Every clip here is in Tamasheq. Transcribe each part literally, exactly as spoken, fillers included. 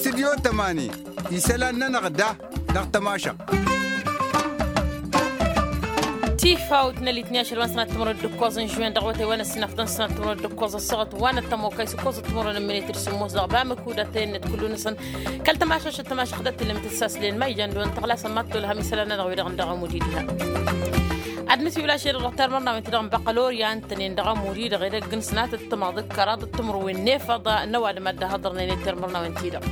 Tidyo tămani isălan-nănăɣ da dăɣ-tămašăɣt. Tifawt n-elitni ašăl wa n-sănat timărwen d-ǝkkoẓ n-žuwen dăɣ-wătay wa n-ăssinăftăn sănat timărwen d-ǝkkoẓ ăssaɣăt wa n-ăttămokay s-ǝkkoẓăt timărwen n-minitri sǝmmos dăɣ-bamăku d-atăyăn n-ed kullu-năsăn. Kăl-tămašašăt tămašăɣ d-ăttălămăt ǝssaslen ma ijan dăɣ-wăn tăɣlasăn ma t-tolhăm isălan-nănăɣ wi-dăɣ n-dăɣ-amudi diha. Ad-nǝsiwǝl ašăl dăɣ-termărnawen-ti-dăɣ n-băqqăl oryan tănen dăɣ-amudi-dăɣ edăgg n-sănatăt tămaḍ d-kăraḍăt timǝrwen n-efăḍ n-ăwadǝm ad-dd-ahăḍărnen i-termărnawen-ti-dăɣ.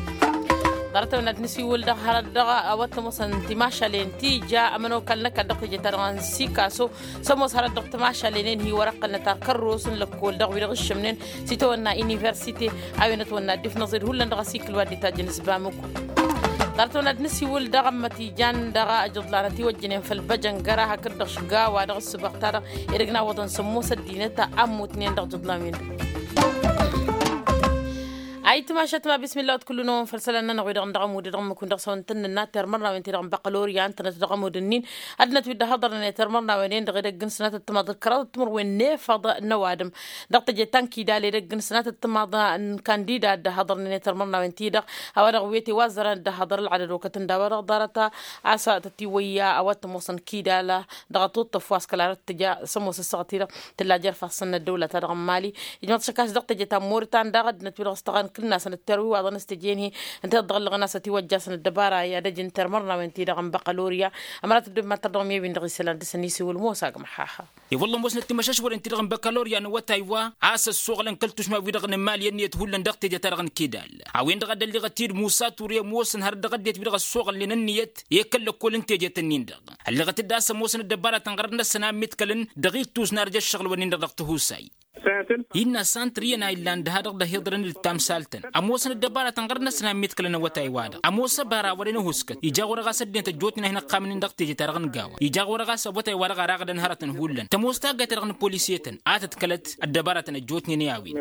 Ḍarăt-awăn ad-nǝsiwǝl dăɣ-hărăt dăɣ-a-wa t-ămoosăn timašalen ti ija ămănokal n-ăkall dăɣ-teje-ta-dăɣ n-sikaso s-ămoos hărăt dăɣ-timašalen-en hi-wăr-ăqqălnăt ar kărros n-lăkkol dăɣ-wi-dăɣ ǝššămnen s-itawănna universite a-wen ătwănna dd-ifnăẓed hullan dăɣ-asikǝl wa dd-itajjăn s-bamǝku. Ḍarăt-awăn ad-nǝsiwǝl dăɣ-ămmăt ijan dăɣ-ajǝḍlan ătiwăjjănen făll-băjăngăra hakd-dăɣ šga wa dăɣ-ǝssǝbăɣ-ta-dăɣ edăgg n-awwăḍăn s-ămoos ăddinăt a ămmutnen dăɣ-ajǝḍlan-win-dăɣ. Ayǝtmašat ma bismillah wăt kullu-năwăn făll-isălan-nănăɣ wi-dăɣ n-dăɣ-amud-i dăɣ-ǝmmǝk-win dăɣ-s a-wa n-tăn-nǝnna termărnawen-ti-dăɣ n-băqqăl oryan tănăt dăɣ-amud-ǝnnin. Ad-dănăt wi dd-ăhhăḍărnen i-termărnawen-en-dăɣ edăgg n-sănatăt timaḍ d-kăraḍăt timǝrwen n-efăḍ n-ăwadǝm dăɣ-teje ta n-kidal edăgg n-sănatăt timaḍ n-kandida dd-ăhhăḍărnen i-termărnawen-ti-dăɣ. A-wa dăɣ-wete wa ăzzărăn dd-ăhhăḍăr ălɣadăd okăt n-daw-wa-dăɣ ḍarăt a-s tătiwăyya a-wa t-ămoosăn kidal dăɣ-ătuṭṭăf wa s-kăla dăɣ-tǝja s-ămoos ăssaɣăt-i-dăɣ tǝlla jer-ifassăn n-ăddăwla-ta-dăɣ n-mali. Ijmăḍ-t šăkkas dăɣ-teje ta n-moritan daɣ ăddinăt wi-dăɣ s-tăɣan kǝl-nasăn ǝtterwi iwaḍăn s-teje n-hi ǝnta dăɣ-ǝllăɣăn a-s ătiwăjjasăn ăddăbara i-ad-ăj n-termărnawen-ti-dăɣ n-băqqăl orya. Ămărat ăddob ma tărdăɣ mi-ewin dăɣ-isălan dăr-săn isiwǝl mosa agmăḥaha. I-wălla ămoosnăt timăšăšwăren-ti-dăɣ n-băqqăl orya n-awătay wa a-s ăssoɣălăn kăl-tušma-wi-dăɣ n-imali ănniyăt hullan dăɣ-teje-ta-dăɣ n-kidal. A-wen-dăɣ a dd-ălliɣăt-dd musa ture ămoosăn hărăt dăɣ-ăddinăt wi-dăɣ ăssoɣălnen ănniyăt i-kăl-lăkkol n-tejet-ǝnnin-dăɣ. Ălliɣăt-dd a-s ămoosăn ăddăbaratăn ɣărăt-năsăn a ǝmmiḍkălăn dăɣ-ittus n-arj ăššăɣǝl-wǝnnin-dăɣ dăɣ-tihusay. Innă a-s ăntrǝyăn a illan dăha-dăɣ d-ahiḍărăn d-tamsaltăn ămoosăn ăddăbaratăn ɣărăt-năsăn a ǝmmiḍkălăn awătay-wa-dăɣ ămoos ăbara wăren ăhuskăt ija ɣur-e ɣas ăddinăt ăjjootnen a hin-ǝqqamnen dăɣ-teje-ta-dăɣ n-gawa ija ɣur-e ɣas awătay-wa-dăɣ ar aɣdăn hărătăn hullan tămoos taggayt-ta-dăɣ n-polisiyetăn a tǝḍkălăt ăddăbaratăn ăjjootnen i-a-wen.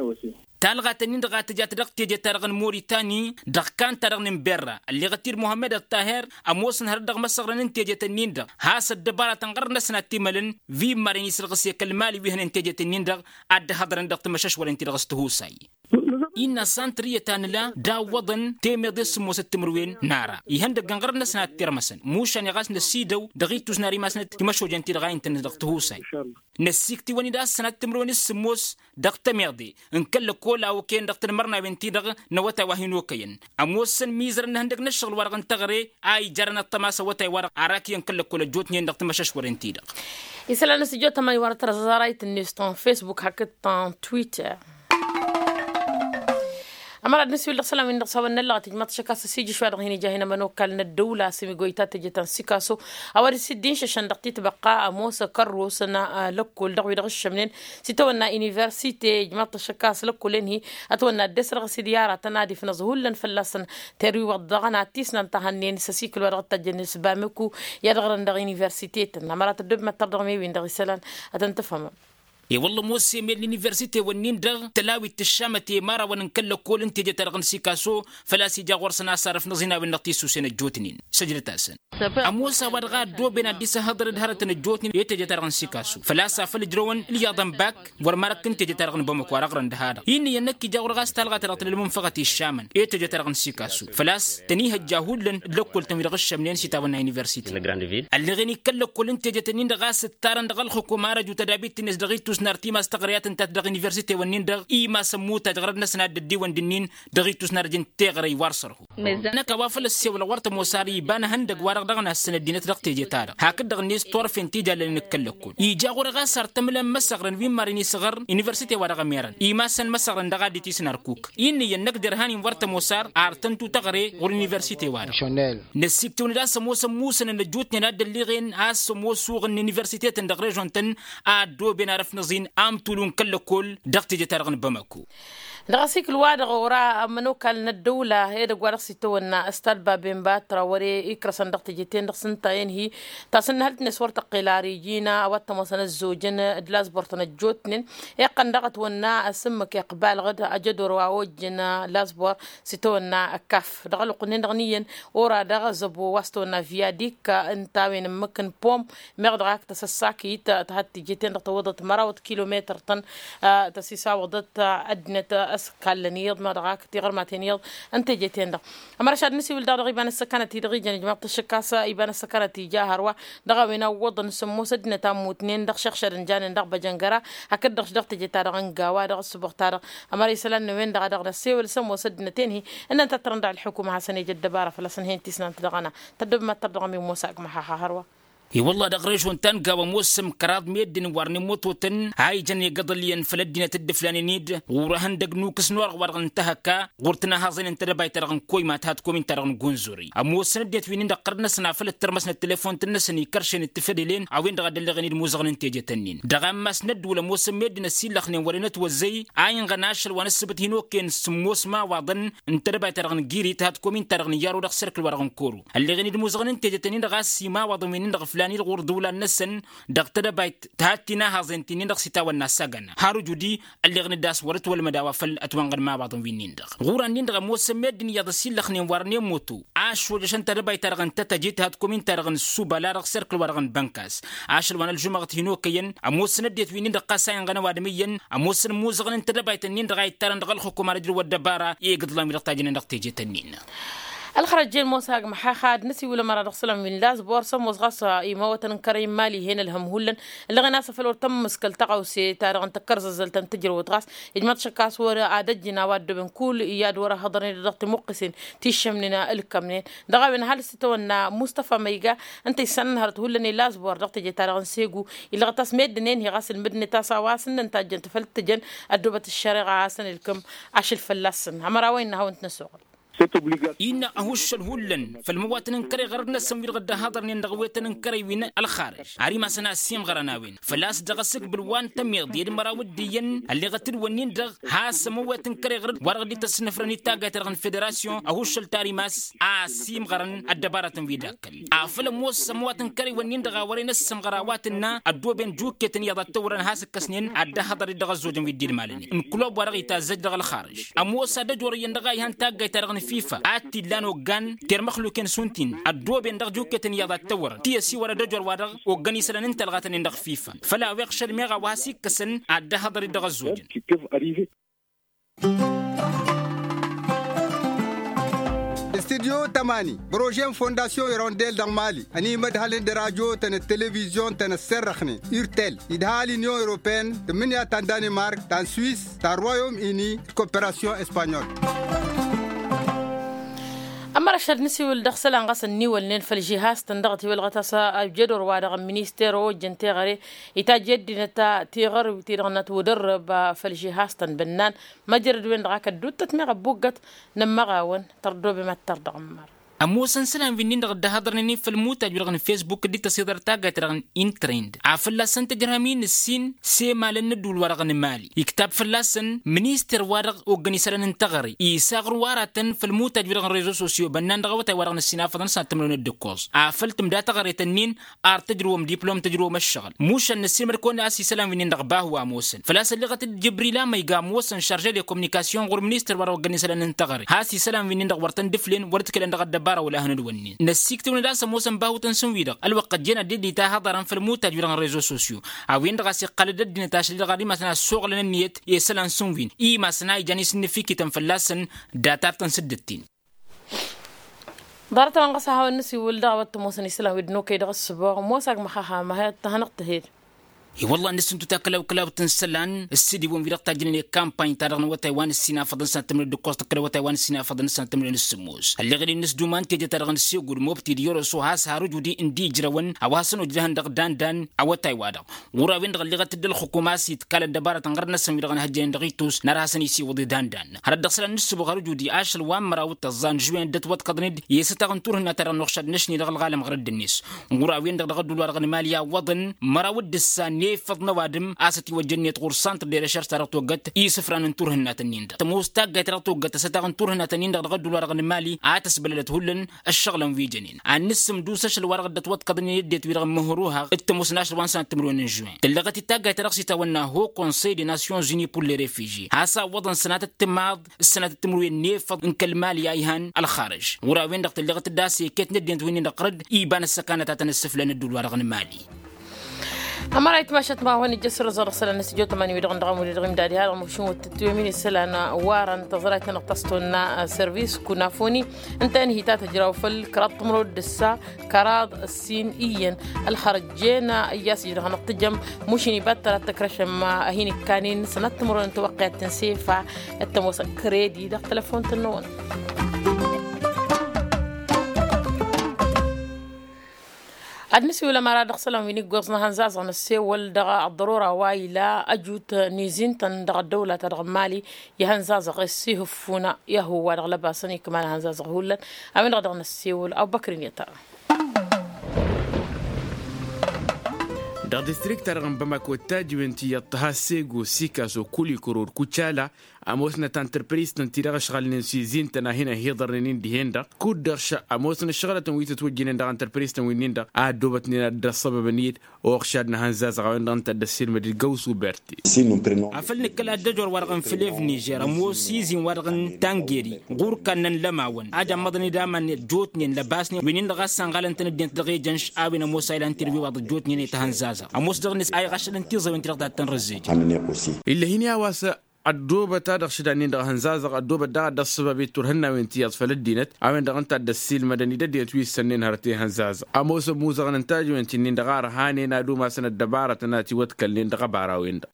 Talɣat-ǝnnin-dăɣ a tǝjat dăɣ-teje-ta-dăɣ n-moritani dăɣ-kanta-dăɣ n-inberra ălleɣăt-dd muhămmăd ăṭṭaher ămoosăn hărăt dăɣ-imăsăɣrăn n-tejet-ǝnnin-dăɣ has-ăddăbaratăn ɣărăt-năsăn ad-t-imălăn. Wi n-marăn isǝlɣǝse kăl-mali wi hănen tejet-ǝnnin-dăɣ ad-dd-hăḍrăn dăɣ-timăšăšwăren-ti-dăɣ s-tihusay. Innă a-s ăntrǝyăt a nǝla d-awwăḍăn temeḍe s-sǝmmosăt timǝrwen n-ara ihăndăggăn ɣărăt-năsăn ad-t-irmăsăn mušan i-ɣas năsidăw dăɣ-ittus n-ar imasnăt timăšojen-ti-dăɣ a intănăt dăɣ-tihusay. Năssiktǝwăn-dd a-s sănat timǝrwen s-sǝmmos dăɣ-temeḍe n-kăl-lăkkol a okăyăn dăɣ-tinmărnawen-ti-dăɣ n-awătay wa hin-okăyăn ămoosăn mizărăn n-ihăndăg n-ǝššăɣǝl-wa-dăɣ n-teɣăre a ijarăn ăṭṭăma a-s awătay-wa-dăɣ ar akǝyăn kăl-lăkkol ăjjootnen dăɣ-timăšăšwăren-ti-dăɣ. Isălan n-asǝjjo tămani wa n-ătrăẓẓarayt-net ta n-facebook hakd ta n-twitter. Ămăra d-nǝsiwǝl dăɣ-isălan-win-dăɣ s-hawăn-năllăɣ tǝjmăḍ tăšăkka s-ăsijǝš wa dăɣ-hin-ija hin-ămănokal n-ăddăwla s-ămigoyta tejăt ta n-sikaso a-wa dăr-s dd-inšăšăn dăɣ-titbăqqa ămoos kărrosăn lăkkol dăɣ-wi-dăɣ ǝššămnen s-itawănna universite ijmăḍ tăšăkka s-lăkkolen-hi ătwănna ăddes dăɣ-s d-i-aratăn ad-ifnăẓ hullan fălla-săn. Terwiwăḍ daɣ n-ad-t-isnăn tahănnen s-ăsikǝl wa dăɣ-dd-tajjăn s-bamǝku i-ad-ɣrăn dăɣ-universite-tăn ămăra tăddob măttăr dăɣ-mewin dăɣ-isălan ad-tăn-tǝfhămăm. I-wălla ămoos emel n-universite-wăn-nin-dăɣ tălawit tǝššamăt i-imărawăn n-kăl-lăkkol n-teje-ta-dăɣ n-sikaso. Făl-a-s ija ɣur-săn a-s arǝfnăẓ-in a-wen-dăɣ tisusen ăjjootnen săjdăt-asăn. Ămoos a-wa-dăɣ a ăddooben ad-dd-isăhhăḍărăd hărătăn ăjjootnen i-teje-ta-dăɣ n-sikaso făl-a-s afăl ǝjrăwăn ǝlyaḍăn bak wăr marăk n-teje-ta-dăɣ n-bamăko ar ăɣrăn dăha-dăɣ. Innă iyyăn năkk ija ɣur-e ɣas talɣa-ta-dăɣ tǝla ălmunfăɣăt iššamăn i-teje-ta-dăɣ n-sikaso făl-a-s tănihăjja hullan d-lăkkol-tăn wi-dăɣ ǝššămnen s-itawănna universite. Ălleɣen i-kăl-lăkkol n-tejet-ǝnnin-dăɣ a-s ǝttarăn dăɣ-ălxukum arăju tădabit-net dăɣ-ittus n-artimas tăɣre a tǝntat dăɣ-universite-wăn-nin-dăɣ imasăn muttaj ɣărăd-năsăn ad-dd-ăddiwăn d-ǝnnin dăɣ-ittus n-arjăn teɣăre i-wăr sărhu. Năkk a-wa făl ăssewălăɣ wăr tămoos ar iba n-ehăndăg-wa-dăɣ dăɣ-nassăn ăddinăt dăɣ-teje-ta-dăɣ hakd-dăɣ-net turfen ti jallalăn d-kăl-lăkkol ija ɣur-e ɣas ar tămǝlăn măsăɣrăn wi n-marăn isăɣăr universite-wa-dăɣ ămerăn imasăn măsăɣrăn dăɣ-ad-dd-tisnarkuk. Innă iyyăn năkk derhan-in wăr tămoos ar ar tăntu tăɣre ɣur-universite-wa-dăɣ. Năssiktǝwăn-dd a-s ămoosăn musănăn ăjjootnen a dd-ălliɣen a-s ămoos uɣǝn n-universite-tăn dăɣ-režon-tăn a ăddooben arǝfnăẓ-in amtulu n-kăl-lăkkol dăɣ-teje-ta-dăɣ n-bamako. Dăɣ-asikǝl-wa-dăɣ ora ămănokal n-ăddăwla edăgg wa dăɣ-s itawănna ăstad baben batra wăr-e ikrăsăn dăɣ-teje-ten-dăɣ s-ǝnta-en-hi tasǝnnǝhălt-net wăr tăqqel ar iji n-a-wa t-ămoosăn ăzzojăn d-lazbur-tăn ăjjootnen. Iqqăn daɣ ătwănna asǝmmǝk iqbalăɣ-dd ajădor wa ojjăn lazbur s-itawănna ăkkaf dăɣ-ălwăqq-nin-dăɣ n-iyyăn ora daɣ zăbo wa s-tawănna viyadik ǝnta a-wen ǝmmǝk n-pom meɣ dăɣ-ak tăsăssakit tăhăt teje-ten-dăɣ tăwwăḍăt măraw d-kilometăr-tăn. Tăsisawăḍăt ăddinăt. kallăn iyyăḍ ma dăɣ-ak tiɣărmaten iyyăḍ. Ǝnta eje-ten-dăɣ ămăra šad nǝsiwǝl daɣ dăɣ-iba n-ăssăkanăt-i-dăɣ ijăn ijmaḍ-t ǝššǝk a-s iba n-ăssăkanăt ija hărwa dăɣ-a-wen awwăḍăn s-ămoos ăddinăt a ămmutnen dăɣ-šăɣšădăn janen dăɣ-băjăngăra hakd-dăɣ-š dăɣ-teje-ta-dăɣ n-gawa dăɣ-ǝssǝboɣ-ta-dăɣ. Ămăra isălan n-a-wen-dăɣ a dăɣ-năssewăl s-ămoos ăddinăt-en-hi ǝnnăn tattărăn daɣ ălḥukuma ad-hasăn-ej ăddăbara făl-a-s ǝnhăyăn tisnant dăɣ-ăna. Tăddobem ad-tărdăɣăm i-ămoos agmăhaha hărwa. I-wălla dăɣ-režon ta n-gawa ămoosăm kăraḍ meddǝn wa rănămototăn a ijăn i-igăḍăl iyyăn făll-ăddinăt d-iflanen-dd ɣur-ehăndăg n-ukǝs n-orăɣ wa dăɣ-nǝntăhăkka ɣur-tinahaẓen n-tedăbayt-ta-dăɣ n-koyma tăhat komin-ta-dăɣ n-gunzuri. Ămoosăn ăddinăt wi-nin-dăɣ ɣărăt-năsăn afăl ǝttărmăsnăt telefont-năsăn ikăršen d-tifădelen a-wen-dăɣ a dd-ălleɣen-dd imuzăɣăn n-tejet-ǝnnin dăɣ-ammas n-ăddǝwǝl ămoosăn meddǝn ăsillăxnen wăren ătwăzzăy a inɣăn ašăl wa n-ǝssǝbǝt hin-okken s-ǝmmos imawaḍăn n-tedăbayt-ta-dăɣ n-girit tăhat komin-ta-dăɣ n-iyyăr o-dăɣ serkǝl wa dăɣ-nǝkkoru ălleɣen-dd imuzăɣăn n-tejet-ǝnnin-dăɣ a-s imawaḍăn wi-nin-dăɣ ǝflan-dd ɣur-ǝḍuwlan-năsăn dăɣ-tedăbayt tăhat tinahaẓen ti-nin-dăɣ s-itawănna s-agăna har ǝjud-i ălleɣen-dd a-s wăr-ătwălmăd a-wa făl ătwănɣăd imawaḍăn wi-nin-dăɣ ɣur-an-nin-dăɣ ămoosăn meddǝn iyyăḍ ăsillăxnen wa rănen moto a ăššojăšăn tedăbayt-ta-dăɣ n-tătăjit tăhat komin-ta-dăɣ n-subăla dăɣ-serkǝl wa dăɣ-nǝbănkas ašăl wa n-ălžumăɣăt hin-okăyăn ămoosăn ăddinăt wi-nin-dăɣ ɣas a inɣăn ăwadǝm iyyăn ămoosăn imuzăɣăn n-tedăbayt-nin-dăɣ a ittarăn dăɣ-ălxukum ad-ăjrǝw ăddăbara i-igǝḍlan wi-dăɣ tajǝnen dăɣ-tejet-nin. Ălxărăt jen ămoos agmăxaxa ad-năsiwǝl ămăra dăɣ-isălan wi n-lazbor s-ămoos ɣas imawătăn n-kărăy n-imali hen ălhăm hullan ălleɣen a-s afăl wăr tămmǝskăl tăɣawse ta dăɣ-n tăkkărzăzzălt ta n-tǝjrăwăt ɣas ijmăḍ šăkk a-s wăr ad-ăjjǝn a-wa ăddooben kull i-ad-wăr-ăhhăḍărnen dăɣ-timuqqǝsen ti ǝššămnen ǝlkămnen dăɣ-a-wen ăhalǝs titawănna mustafa măyga ǝnta issanăn hărăt hullan i-lazbor dăɣ-teje-ta-dăɣ n-segu illăɣăt a-s meddǝn-en-hi ɣas ǝlmǝdnet a-s a-wa s-ǝnnăn tajjăn tafăl t-tǝjăn ăddoobăt ăššăreɣa a hasăn-ǝlkǝm ašăl fălla-săn ămăra wa innă ad-hawăn-t-năsoɣăl. Innă ăhuššăl hullan făll-imăwatăn n-kăre ɣărăt-năsăn wi-dăɣ dd-ăhhăḍărnen dăɣ-awetăn n-kărăy wi n-ălxarăž ar imasăn a ăssiimɣărăn a-wen făl-a-s dăɣ-asǝkbǝl wa n-tămiḍ i-ad-măraw d-iyyăn ălleɣăt-dd wănnin-dăɣ has-ămăwet n-kăre ɣărăt wa dăɣ-dd-tăsnăfrăn i-taggayt-ta-dăɣ n-federasyon ăhuššăl tarimas a ăssiimɣărăn ăddăbarătăn wi d-akkăl afăl ămoos ămăwat n-kăre wănnin-dăɣ a wăren ăssămɣăr a-wa tǝnna ăddooben juketăn iyyăḍ ad-tăwrăn has-ǝkkăsnen ad-dd-ăhhăḍăr-dd dăɣ-ăzzojăn wi dd-ilmalnen n-kulub wa dăɣ-itazzăj dăɣ-ălxarăž ămoos ad-ăjorăyăn dăɣ-a ihan taggayt-ta-dăɣ n-fifa ad-t-illan oggan termăxluken šund-tin ăddooben dăɣ-juketăn iyyăḍ ad-tăwrăn ti ăsiwăr ad-ăjor wa dăɣ-oggan isălan n-talɣatăn-in dăɣ-fifa făl a-wa iɣšăl meɣ a-wa has-ikkăsăn ad-dd-ăhhăḍăr-dd dăɣ-ăzzojăn. Studyo tămani bărožen fondasyon irondel dăɣ-mali ănimădhălăn d-rajotăn d-televizyon-tăn ăssărrăxnen irtel idha l-inyon europeen tǝmmǝnǝya ta n-danimark ta n-swis ta n-royom ini d-koperasyon espanyol. Ămăra šăd nǝsiwǝl dăɣ-isălan ɣas ănniwălnen făll-žihaz-tăn dăɣ-tiwălɣăt a-s ăjjădor wa dăɣ-minister ojăn teɣăre itajj i-ăddinăt tiɣărwit-i-dăɣ n-ătwădărrăb făll-žihaz-tăn bănnan măjrăd-wen-dăɣ a kădduttăt meɣ ăbbuggăt n-ămmăɣawăn tărdobem ad-tărdăɣ ămmăra. Ămoosăn isălan wi-nin-dăɣ dd-ăhhăḍărnen i-făll-imutaj-wi-dăɣ n-fesbuk dd-tăsiḍăr taggayt-ta-dăɣ n-intrend afăl-asăn tǝjrăhăm-in ǝssin s-emalăn n-ădduul-wa-dăɣ n-mali iktab fălla-săn minister-wa-dăɣ oggăn isălan n-teɣăre isaɣru aratăn făll-imutaj-wi-dăɣ n-rezo sosyo bănnan dăɣ-awătay-wa-dăɣ n-ăssinafăḍăn s-ad-tǝmrăwăn d-ǝkkoẓ afăl tǝmda teɣăre-tăn-in ar tǝjrǝwăm diplom tǝjrǝwăm ăššăɣǝl mušan năssiilmăd-kăwăn a-s isălan wi-nin-dăɣ bahu a ămoosăn făl-a-s ălleɣăt-dd jăbril amăyga ămoosăn šarže de kominikasyon ɣur-ministăr wa dăɣ-oggăn isălan n-teɣăre has-isălan wi-nin-dăɣ wăr tăn-dd-ǝflen wăr ǝdkălăn dăɣ-ăddăbara wăla hăn-ădwănnen năssiiktǝwăn-dd a-s ămoosăn bahu-tăn s-ǝnwi-dăɣ ălwăqq ăjjeen ad-dd-itahăḍărăn făll-imutaj-wi-dăɣ n-rezo sosyo a-wen-dăɣ a-s iqqal-dd ăddinăt ašăl-i-dăɣ ar imasăn a ăssoɣlăn ǝnniyăt i-isălan s-ǝnwin i-imasăn a ijan isǝnnǝfikităn fălla-săn data-t-tăn s-dd-ǝttin. Ḍarăt-a-wen ɣas a hawăn-nǝsiwǝl dăɣ-a-wa t-ămoosăn isălan wi dd-nokăy dăɣ-ǝssǝboɣ ămoos agmăxaxa ma hi-ăttăhănăɣ tǝhed. I-wălla ad-nǝsǝntu takkălaw-kălaw-tăn isălan ǝssidǝwăn wi-dăɣ tajjănen i-kampany-ta-dăɣ n-awătay wa n-ǝssinafăḍăn sănat tǝmrăwen d-ǝkkoẓ tăkkăl awătay wa n-ǝssinafăḍăn sănat tǝmrăwen d-sǝmmos ălleɣ-dd-i n-ǝsduma n-teje-ta-dăɣ n-ǝssegud mobti d-yoroso has-har ujud-i ǝndi ijrăwăn a-wa hasăn-ojjăhăn dăɣ-dandan awătay-wa-dăɣ ɣur-a-wen-dăɣ ălleɣăt-dd ălxukum a-s itkal ăddăbarăt n-ɣărăt-năsăn wi-dăɣ ănhăjjănen dăɣ-itus n-ar hasăn-isiwǝḍ i-dandan hărăt dăɣ-isălan n-ǝssǝboɣ har ujud-i ašăl wa n-măraw d-tăẓẓa n-žuwen dd-ătwăḍkăḍnen i-isătaɣ n-turhǝnna-ta-dăɣ n-uxšad n-ašni dăɣ-ălɣalăm ɣărăt d-net ǝnɣur a-wen-dăɣ dăɣ-ădduul-wa-dăɣ n-mali iwwăḍăn măraw d-ǝssa n-efăḍ n-ăwadǝm a-s ătiwăjjăn-net ɣur-santr de recherš-ta-dăɣ toggăt isǝfran n-turhǝnna-tăn-in-dăɣ tămoos taggayt-ta-dăɣ toggăt ăsătaɣ n-turhǝnna-tăn-in-dăɣ dăɣ-ădduul-wa-dăɣ n-mali a tăsbălălăt hullan ăššăɣǝlăn wi jănen ad-nǝssǝmdus ašăl-wa-dăɣ dd-ătwăḍkăḍnen i-ăddinăt-wi-dăɣ n-măhruhăɣ d-tămoos n-ašăl wa n-sănat timǝrwen n-žuwen tǝllăɣăt-dd taggayt-ta-dăɣ s-itawănna haut conseil des nations unies pour les refugies has-awwăḍăn sănatăt timaḍ s-sănatăt timǝrwen n-efăḍ n-kăl-mali a ihan ălxarăž ɣur-a-wen-dăɣ tǝllăɣăt-dd a-s iket n-ăddinăt wi-nin-dăɣ ɣărăd iba n-ăssăkanăt a tăn-ăssǝflăn ădduul-wa-dăɣ n-mali. Ămăra itmašăt ma-hăn ijjăs răzăr sălan s-ijot mani wi-dăɣ n-dăɣ amuli dăɣ-imdadi har măšun wăt tătwemini sălan. Wărăn tăẓrayt-nănăɣ tăstonna. Sărvis kunafoni ǝnta inhita tăjraw făll-kăraḍ timrod d-ǝssa kăraḍ ǝssin iyyăn. Ălxărăjjen iyyas ijrăɣ năɣ tǝjăm mušin ibattăr ad-tăkrăšăm. Ăhin ikkanin sănăt timrod n-tawăqqiyat tǝnsefa. Ăttămosăn kredi dăɣ-telăfon tănnăwăn. Ad-nǝsiwǝl ămăra dăɣ-isălan wi n-iggoẓ n-ahănzazăɣ năssewăl dăɣ-ăḍḍărora wa ila ăjut n-izintăn dăɣ-ăddăwla-ta-dăɣ n-mali. Ihănzazăɣ s-ihǝffun i-ahǝw wa dăɣ-lăbasăn ikmal ahănzazăɣ hullan. A-wen-dăɣ dăɣ-năssewăl abubăkr-in i-tăra. Dăɣ-distrikt-ta-dăɣ n-bamako d-tajǝwen ti iyyăḍ tăha sego sikaso kulikoro d-kucala. Ămoosnăt antărpris-tăn ti dăɣ-ăšɣălnen s-izin-tăn a hin-ăhiḍărnen-in dihen-dăɣ kud-dăɣ šăɣ ămoosnăt šăɣlătăn wi tǝtwăjjǝnen dăɣ-antărpris-tăn wi-nin-dăɣ a ăddoobătnen ad-dd-ăṣṣăbăbăn-dd. Oɣšad n-ahănzazăɣ a-wen-dăɣ ǝnta a dd-ăssiilmăd d-găwsu berti. Afăl nǝkkăl ad-dd-ăjor wa-dăɣ n-flev nižer ămoos izin wa-dăɣ n-tangeri ɣur-kannăn lămawăn ad-ămmăḍăn-dd aman ăjjootnen lăbasnen wi-nin-dăɣ a ăssanɣalăn-tăn ăddinăt dăɣ-ejănš. A-wen ămoos a ilan tirǝwiwaḍ ăjjootnen i-tahănzazăɣ ămoos dăɣ-net a iɣaššălăn tiẓăwen ti-dăɣ ta t-tăn-răzzejăn. Ill'-e hin-i a-wa s-a ăddoobăt ad-ăɣšǝd annin-dăɣ hănzazăɣ ăddoobăt daɣ ad-dd-ăṣṣăbab i-turhǝnnawen ti iyyăḍ făll-ăddinăt. A-wen-dăɣ ǝnta a dd-ăssiilmădăn-dd ăddinăt wi ǝssănnen hărăt i-hănzazăɣ ămoosăn muzăɣăn n-tajǝwen ti-nin-dăɣ a ărhanen ad-umasăn ăddăbarătăn a ătiwăḍkălnen dăɣ-ăbara-wen-dăɣ.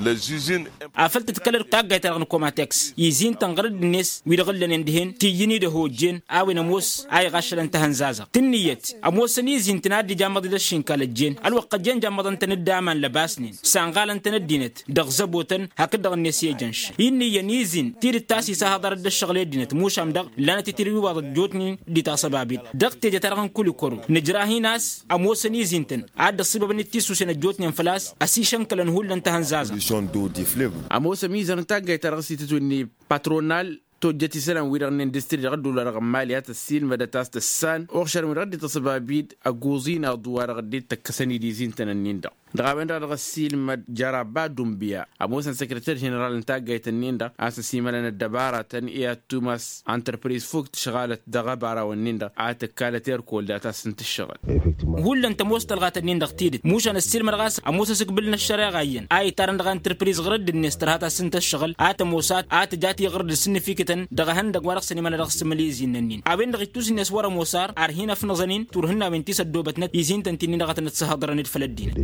Afăl tǝdkălăd taggayt-ta-dăɣ n-komatex izin-tăn ɣărădd-net wi-dăɣ ǝllănen dihen ti iyyǝn-dd ăhojjen. A-wen ămoos a iɣaššălăn tahănzazăɣt tǝnnǝyăt ămoosăn izin-tăn ad-dd-ijamăḍ-dd ăššinkal ăjjeen ălwăqq ăjjeen jammăḍăn-tăn-dd aman lăbasnen. Sanɣalăn-tăn ăddinăt dăɣ-zăbotăn hakd-dăɣ-net i-ejănš. Innǝyyăn izin tidǝt ta s-isahăḍărăt d-ăššăɣǝl i-ăddinăt mušam-dăɣ ǝllanăt itirǝwiwaḍ ăjjootnen d-itasăbabit dăɣ-teje-ta-dăɣ n-kulikoro. Nǝjrah-in a-s ămoosăn izin-tăn ad-dd-ăṣṣibăbăn d-tisusen ăjjootnen făl-a-s ăsišănkălăn hullan tahănzazăɣt. Ămoosăn izan n-taggayt-ta-dăɣ s-itǝtwǝnni patronal tojjăt isălan-wi-dăɣ n-industri dăɣ-ăddula-dăɣ n-mali a tăssiilmădăt a-s tǝssan uɣšărăn wi-dăɣ dd-ităṣbab-dd ăgguẓ-in aḍu wa-dăɣ dd-tăkkăsăn-dd izin-tăn-ǝnnin-dăɣ. Dăɣ-a-wen-dăɣ a dăɣ-ăssiilmăd jăraba dunbiya ămoosăn săkrăter ženeral n-taggayt-ǝnnin-dăɣ a-s ăsimălăn ăddăbaratăn i-ad-tumas. Antărpriz fuk tǝšɣalăt dăɣ-ăbaraw-ǝnnin-dăɣ a tǝkkalăt erkol data s-ǝnta ǝššăɣǝl. Hullan tămoos tălɣat-ǝnnin-dăɣ tidǝt mušan ăssiilmădăɣ a-s ămoos asǝkbǝl n-ăššăreɣa iyyăn a itarăn dăɣ-antărpriz ɣărădd-net tărha ta s-ǝnta ǝššăɣǝl a tămoos ad-tǝjat iɣărăd ǝsǝnnǝfikǝtăn dăɣ-ehăndăg wa dăɣ-săn imăla dăɣ-sǝmǝl izin-nănnin. A-wen-dăɣ ittus-net wăr-ămoos ar ar hin-ăfnăẓăn-in turhǝnnawen ti s-ăddoobătnăt izin-tăn ti-nin-dăɣ a tănăt-săhăḍărăn d-făll-ăddinăt.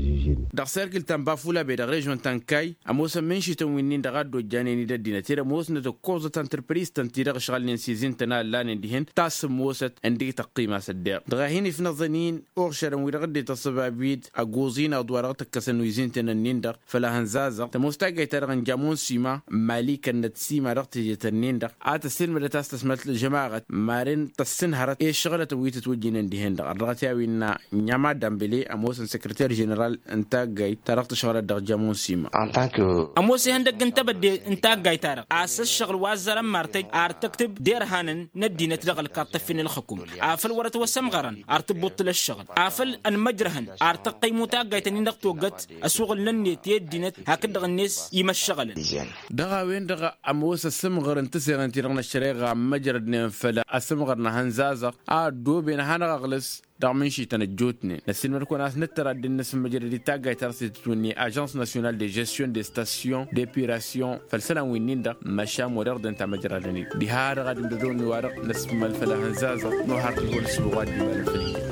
Dăɣ-serkǝl ta n-bafula be dăɣ-režion ta n-kay ămoosăn mǝnšităn wi-nin-dăɣ a dd-ojjanen-dd ăddinăt ed-ămoosnăt ǝkkoẓăt antărpriz-tăn ti-dăɣ ǝšɣălnen s-izin-tăn a ǝllanen dihen ta s-ămoosăt ǝndek tăqqima s-ăddeɣ dăɣ-a hin-ifnăẓăn-in. Uɣšărăn wi-dăɣ dd-ităṣṣăbab-dd ăgguẓ-in aḍu wa dăɣ-tăkkăsăn wi izin-tăn-ǝnnin-dăɣ făll-ahănzazăɣ tămoos taggayt-ta-dăɣ n-jamon sima n-mali kănnăt sima dăɣ-teje-tăn-nin-dăɣ a tăssiilmădăt a-s tăsmălt ălžămaɣăt maren tăssinhărăt i-ăššăɣǝlătăn wi tǝtwǝjjǝnen dihen-dăɣ ărdăɣăt i-a-wi innă nya madambele ămoosăn săkrăter ženeral n-taggayt ta dăɣ-tǝšɣǝlăt dăɣ-jamon sima. Ămoos ihăndăgg n-tebădde n-taggayt-ta-dăɣ a-s ăššăɣǝl wa ăzzărăn martăj ar tăktǝb d-irhanăn n-ăddinăt dăɣ-ălkaḍ tăfin ălxǝkum afăl wăr-ătwăsămɣărăn ar tǝbbuṭṭǝl ăššăɣǝl afăl ănmăjrăhăn ar tăqqăymu taggayt-nin-dăɣ toggăt ăsuɣǝl-nănnet i-ăddinăt hakd-dăɣ-net imăššăɣǝlăn. Dăɣ-a-wen-dăɣ ămoos ăsǝmɣăr n-tǝseɣen ti-dăɣ n-ăššăreɣa ămmăjrădnen făll-asǝmɣăr n-ahănzazăɣ a ăddooben ad-hanăɣ-ăɣlǝs dăɣ-mǝnšităn ăjjootnen năssiilmăd-kăwăn a-s nǝttăr ad-dd-nǝsǝmmăjrăd i-taggayt ta dăɣ-s itǝtwǝnni ažans nasyonal de žestion de station d-epirasyon făll-isălan wi-nin-dăɣ măšan wăr-iɣdăn tamăjradăn-dd diha-dăɣ ad-ǝmdădăwăn wa-dăɣ năsmăl făll-ahănzazăɣ n-ohar tǝjwăl s-băɣ wa dd-imalăn făll-iyyăn.